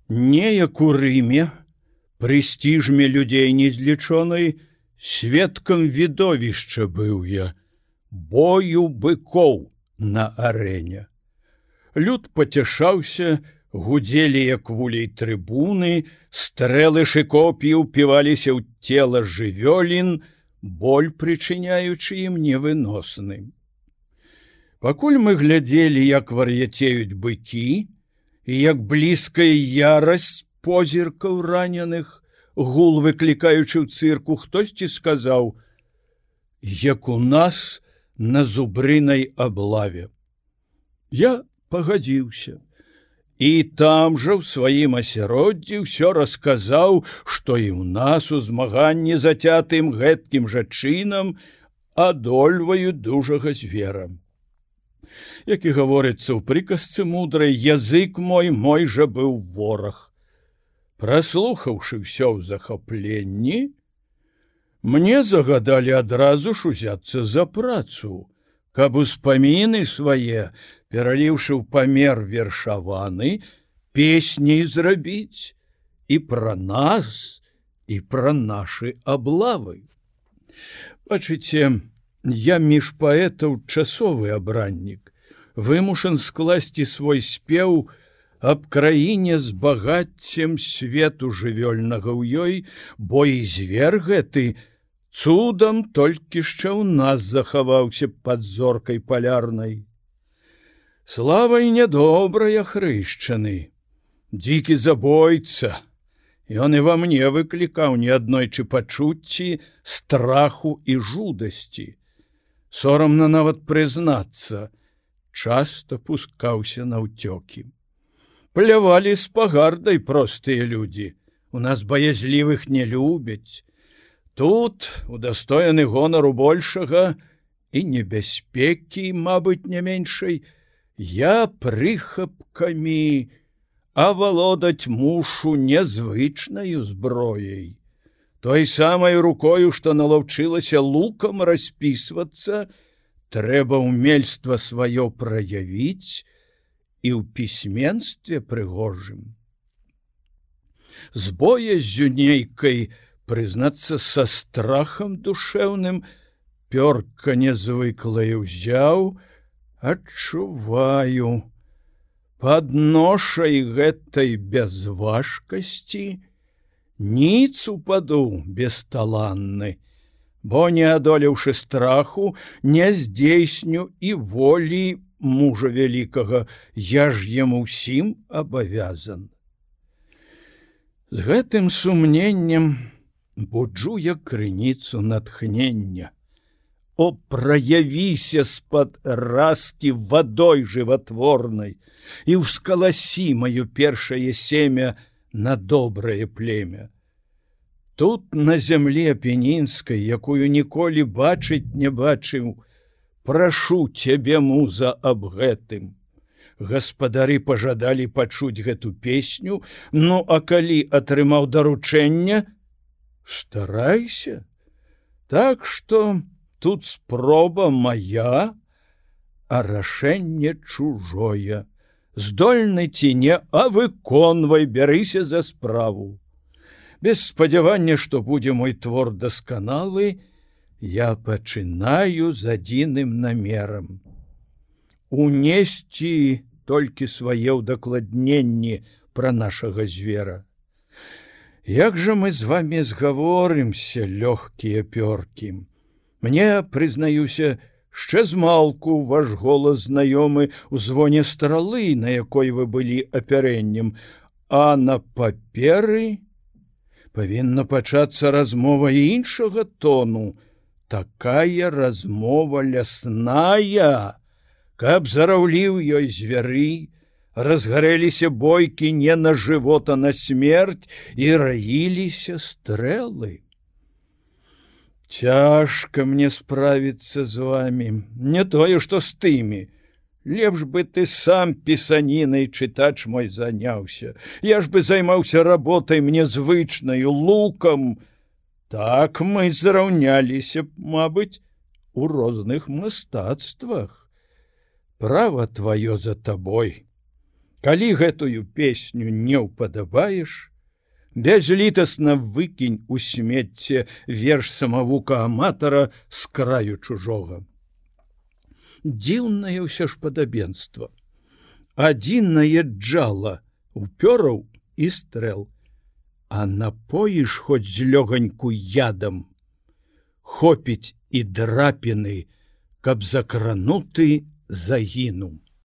Неяк у Рыме, прэстижме людзей незлічонай, сведкам відовішча быў я, бою быкоў на арэне. Люд пацяшаўся, гудзелі як вулей трыбуны, стрэлы шыкопі ўпіваліся ў цела жывёлін, боль прычыняючы ім невыносным. Пакуль мы глядзелі, як вар'яцеюць быкі, і як блізкая ярасць позіркаў раненых, гул выклікаючы ў цырку, хтосьці сказаў: як у нас на зубрынай аблаве. Я пагадзіўся. І там жа ў сваім асяроддзі ўсё расказаў, што і ў нас у змаганні зацятым гэткім жа чынам адольваюць дужага звера. Як і гаворыцца ў прыказцы мудрай, язык мой жа быў вораг. Праслухаўшы ўсё ў захапленні, мне загадалі адразу ж узяцца за працу, каб успаміны свае, пераліўшы ў памер вершаваны, песні зрабіць і пра нас, і пра нашы аблавы. Бачыце, я між паэтаў часовы абраннік, вымушан скласці свой спеў аб краіне з багаццем свету жывёльнага ў ёй, бо і звер гэты цудам толькі ще ў нас захаваўся пад зоркай палярнай. Славай нядобрая хрышчаны, дзікі забойца, ён і ва мне выклікаў неаднойчы пачуцці страху і жудасці. Сорамна нават прызнацца, часта пускаўся на ўцёкі. Плявалі з пагардай простыя людзі, у нас баязлівых не любяць. Тут удостоены гонару большага і небяспекі, мабыць, не меншай, я прыхапкамі авалодаць мушу незвычнаю зброяй. Той самай рукою, што налаўчылася лукам распісвацца, трэба ўмельства сваё праявіць і ў пісьменстве прыгожым. З бояззю нейкай, прызнацца, са страхам душэўным, пёрка нязвыклае ўзяў, адчуваю, пад ношай гэтай бязважкасці ніц упаду бесталанны, бо, не адолеўшы страху, не здзейсню і волі мужа вялікага, я ж яму ўсім абавязан. З гэтым сумненнем буджу я крыніцу натхнення. О, праявіся з-пад раскі вадой жыватворнай і ўскаласі маё першае семя на добрае племя. Тут, на зямлі апенінскай, якую ніколі бачыць не бачыў, прашу цябе, муза, аб гэтым. Гаспадары пажадалі пачуць гэту песню, ну, а калі атрымаў даручэнне, старайся. Так што тут спроба мая, а рашэнне чужое. Здольны ці не, а выконвай, бярыся за справу. Без спадзявання, што будзе мой твор дасканалы, я пачынаю з адзіным намерам. Унесці толькі свае ўдакладненні пра нашага звера. Як жа мы з вамі згаворымся, лёгкія пёркі? Мне, прызнаюся, яшчэ змалку ваш голас знаёмы ў звоне стралы, на якой вы былі апярэннем, а на паперы павінна пачацца размова іншага тону, такая размова лясная, каб зараўліў ёй звяры, разгарэліся бойкі не на жывот, а на смерць, і раіліся стрэлы. Цяжка мне справіцца з вамі, не тое, што з тымі. Лепш бы ты сам пісанінай, чытач мой, заняўся. Я ж бы займаўся работай мне звычнаю, лукам. Так мы зраўняліся, мабыць, у розных мастацтвах. Права тваё за табой. Калі гэтую песню не ўпадабаеш, бязлітасна выкінь у смецце верш самавука-аматара з краю чужога. Дзіўнае ўсё ж падабенства. Адзін наязджала упёраў і стрэл, а напоіш хоць з лёганьку ядам, хопіць і драпіны, каб закрануты загінуў.